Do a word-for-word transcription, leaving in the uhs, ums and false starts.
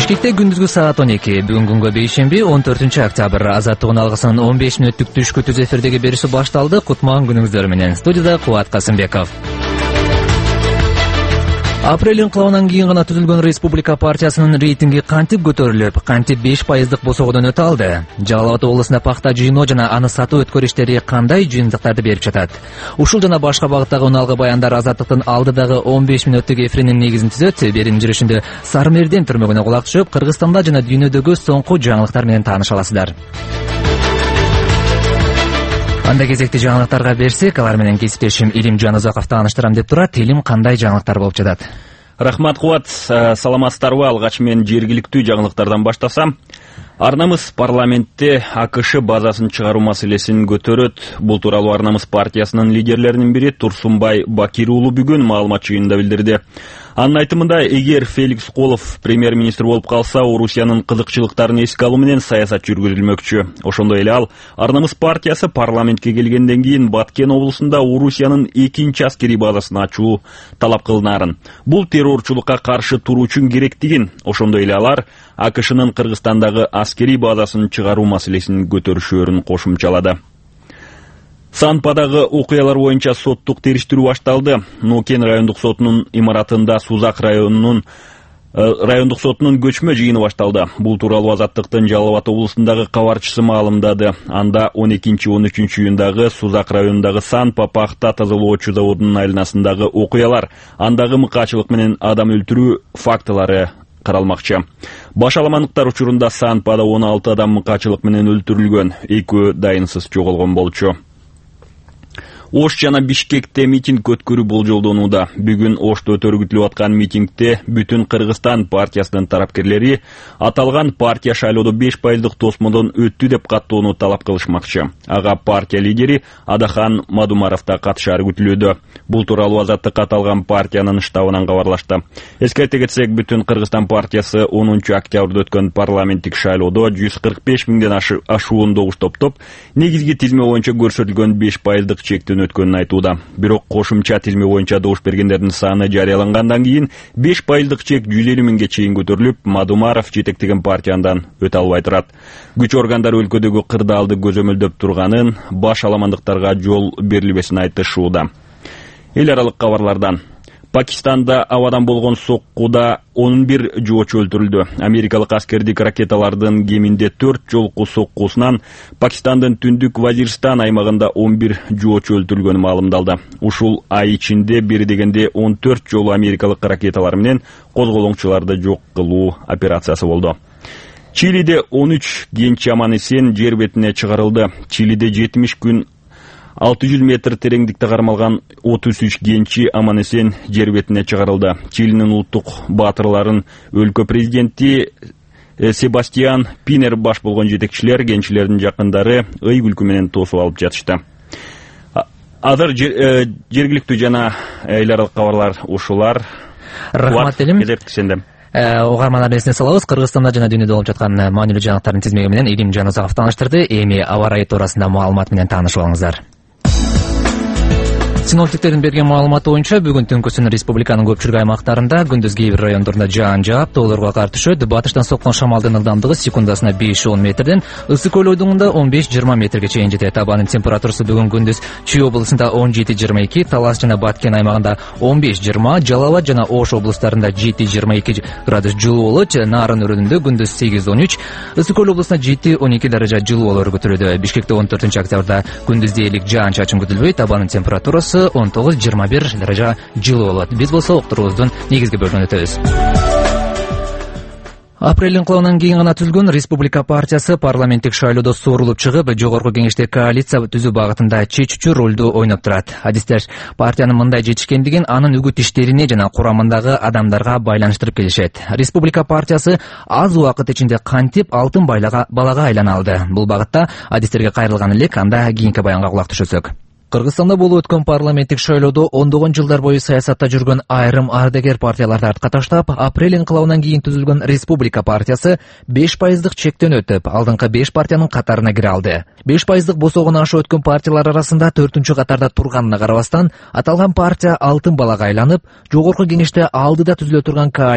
Бишкекте күндүзгү саат он эки. Бүгүн күнгө бейшемби он төртүнчү октябрь. Азаттыгын алгысынын он беш мүнөттүк түшкү түз эфирдеги бериши башталды. Кутман күнүңүздөр менен. Студияда Кубат Касымбеков. Апрель инкылабынан кийин гана түзүлгөн Республика партиясынын рейтинги кантип көтөрүлүп, кантип беш пайыздык босогодон өтө алды? Жалал Абад облусунда пахта жыйноо жана аны сатуу өткөр иштери кандай жыйынтыктарды берип жатат? Ушул жана башка багыттагы уналгы баяндар Азаттыктын алдыдагы он беш мүнөттүк эфиринин негизин түзөт. Берүүнүн жүрүшүндө Сармерден түрмөгүнө кулак түшүп, Кыргызстанда жана дүйнөдөгү соңку жаңылыктар менен тааныша аласыздар. Анда кезекти жаңылыктарга берсек, алар менен кесиптешим Илим Жанузаков тааныштырам деп турат. Илим, кандай жаңылыктар болуп жатат? Рахмат, Кубат. Саламатсыздарбы? Алгач мен жергиликтүү жаңылыктардан баштасам. Арнамыз парламентте АКШ базасын чыгаруу маселесин көтөрөт. Бул тууралуу Арнамыз партиясынын лидерлеринин бири Турсунбай Бакир уулу бүгүн маалымат жыйынында билдирди. Анын айтымында, эгер Феликс Колов премьер-министр болуп калса, Орусиянын кызыкчылыктарын эске алуу менен саясат жүргүзүлмөкчү. Ошондой эле ал Арнамыз партиясы парламентке келгенден кийин Баткен облусунда Орусиянын экинчи аскерий базасын ачуу талап кылынаарын, бул террорчулукка каршы туруу үчүн керектигин, ошондой эле алар АКШнын Кыргызстандагы аскерий базасын чыгаруу маселесин көтөрүшөөрүн кошумчалады. Санпадагы окуялар боюнча соттук териштирүү башталды. Нокен райондук сотунун имаратында Сузак районунун райондук сотунун көчмө жыйыны башталды. Бул тууралуу Азаттыктын Жалал Абад облусундагы кабарчысы маалымдады. Анда он экинчи он үчүнчү июндагы Сузак районундагы Санпа пахта тазалоочу заводунун айланасындагы окуялар, андагы мыкаачылык менен адам өлтүрүү фактылары каралмакчы. Башаламандыктар учурунда Санпада он алты адам мыкаачылык менен өлтүрүлгөн, экөө дайынсыз жоголгон болчу. Ош жана Бишкекте митинг өткөрүү болжолдонууда. Бүгүн Ошто өтөргүтүлүп аткан митингде Бүтүн Кыргызстан партиясынын тарапкерлери аталган партия шайлоодо беш пайыздык тосмодон өттү деп каттоону талап кылышмакчы. Ага партия лидери Адахан Мадумаров да катышары күтүлүүдө. Бул тууралуу Азаттык аталган партиянын штабынан кабарлашты. Эскерте кетсек, Бүтүн Кыргызстан партиясы онунчу октябрда өткөн парламенттик шайлоодо жүз кырк беш миңден ашуун добуш топтоп, негизги тизме боюнча көрсөтүлгөн беш пайыздык чектен өткөнүн айтууда. Бирок кошумча тизме боюнча добуш бергендердин саны жарыялангандан кийин беш пайыздык чек жүз элүү миңге чейин көтөрүлүп, Мадумаров жетектеген партиядан өтө албай турат. Күч органдары өлкөдөгү кырдаалды көзөмөлдөп турганын, баш аламандыктарга жол берилбесин айтышууда. Эл аралык кабарлардан. Пакистанда абадан болгон соккуда он бир жоочу өлтүрүлдү. Америкалык аскердик ракеталардын кеминде төрт жолку соккусунан Пакистандын түндүк Вазирстан аймагында он бир жоочу өлтүрүлгөнү маалымдалды. Ушул ай ичинде бир дегенде он төрт жолу америкалык ракеталар менен козголоңчуларды жок кылуу операциясы болду. Чилиде он үч кенч аман эсен жер бетине чыгарылды. Чилиде жетимиш күн алты жүз метр тереңдикте кармалган отуз үч кенчи аман эсен жер бетине чыгарылды. Чилинин улуттук баатырларын өлкө президенти Себастьян Пинер баш болгон жетекчилер кенчилердин жакындары ый күлкү менен тосуп алып жатышты. Азыр жергиликтүү жана эл аралык кабарлар ушулар. Рахмат Илим. Кезектесенде Угармандар эсине салабыз. Кыргызстанда жана дүйнөдө болуп жаткан маанилүү жаңылыктардын тизмеги менен Илим Жанузаков тааныштырды. Эми аба ырайы туурасында маалымат менен таанышып алыңыздар. Синоптиктердин берген маалыматы боюнча бүгүн түнкүсүн республиканын көпчүлүк аймактарында күндүз кээ бир райондорунда жаан жаап, тоолорго кар түшөт. Батыштан соккон шамалдын ылдамдыгы секундасына беш он метрден, ысык көл ойдугунда он беш жыйырма метрге чейин жетет. Абанын температурасы бүгүн күндүз Чүй облусунда он жети жыйырма эки, Талас жана Баткен аймагында он беш жыйырма, Жалал Абад жана Ош облустарында жети жыйырма эки градус жылуу болот. Нарын өрүнүндө күндүз сегиз он үч, ысык көл облусунда жети он эки даража жылуу болору күтүлүүдө. Бишкекте он төртүнчү октябрда күндүз дээрлик жаан чачын күтүлбөйт. Абанын температурасы он тогуз жыйырма бир даража жылуу болот. Биз болсо уктуруубуздун негизги бөлүгүнө өтөбүз. Апрель инкылабынан кийин гана түзүлгөн Республика партиясы парламенттик шайлоодо соорулуп чыгып, жогорку кеңеште коалиция түзүү багытында чечүүчү ролду ойноп турат. Адистер партиянын мындай жетишкендигин анын үгүт иштерине жана курамындагы адамдарга байланыштырып келишет. Республика партиясы аз убакыт ичинде кантип алтын балага айлана алды? Бул багытта адистерге кайрылган элек, анда кийинки баянга кулак түшөсөк. Кыргызстанда болуп өткөн парламенттик шайлоодо ондогон жылдар бою саясатта жүргөн айрым ардагер партияларды артка таштап, апрель инкылабынан кийин түзүлгөн Республика партиясы беш пайыздык чектен өтүп, алдыңкы беш партиянын катарына кире алды. беш пайыздык босогон ашы өткөн партиялар арасында төртүнчү катарда турганына карабастан, аталган партия алтын балага айланып, жогорку кеңеште алдыда түзүлө турган коалиция